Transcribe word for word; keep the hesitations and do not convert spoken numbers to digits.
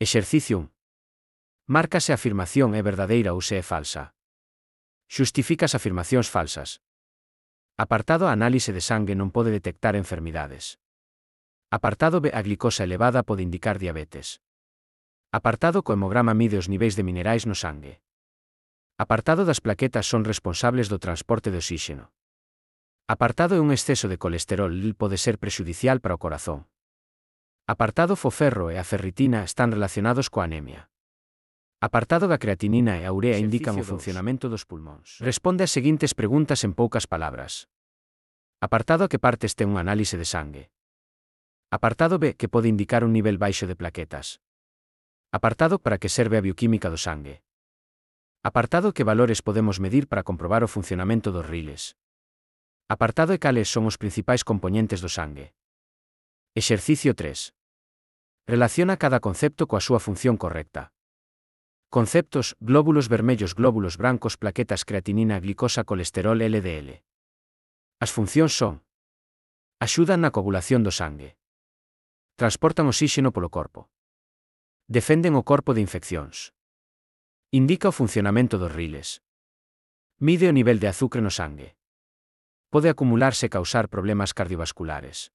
Exercicio un. Marca se a afirmación é verdadeira ou se é falsa. Xustifica as afirmacións falsas. Apartado A análise de sangue non pode detectar enfermidades. Apartado B. A glicosa elevada pode indicar diabetes. Apartado C. O hemograma mide os niveis de minerais no sangue. Apartado das plaquetas son responsables do transporte de oxíxeno. Apartado E. Un exceso de colesterol L pode ser prexudicial para o corazón. Apartado F. O ferro e a ferritina están relacionados coa anemia. Apartado G. A creatinina e a urea indican o funcionamento dos pulmóns. Responde as seguintes preguntas en poucas palabras. Apartado A. Que partes ten unha análise de sangue? Apartado B. Que pode indicar un nivel baixo de plaquetas? Apartado Para que serve a bioquímica do sangue? Apartado Que valores podemos medir para comprobar o funcionamento dos riles? Apartado E. Cales son os principais compoñentes do sangue? Exercicio tres. Relaciona cada concepto coa súa función correcta. Conceptos: glóbulos vermellos, glóbulos brancos, plaquetas, creatinina, glicosa, colesterol, L D L. As funcións son: axudan na coagulación do sangue, transportan oxíxeno polo corpo, defenden o corpo de infeccións, indica o funcionamento dos riles, mide o nivel de azucre no sangue, pode acumularse e causar problemas cardiovasculares.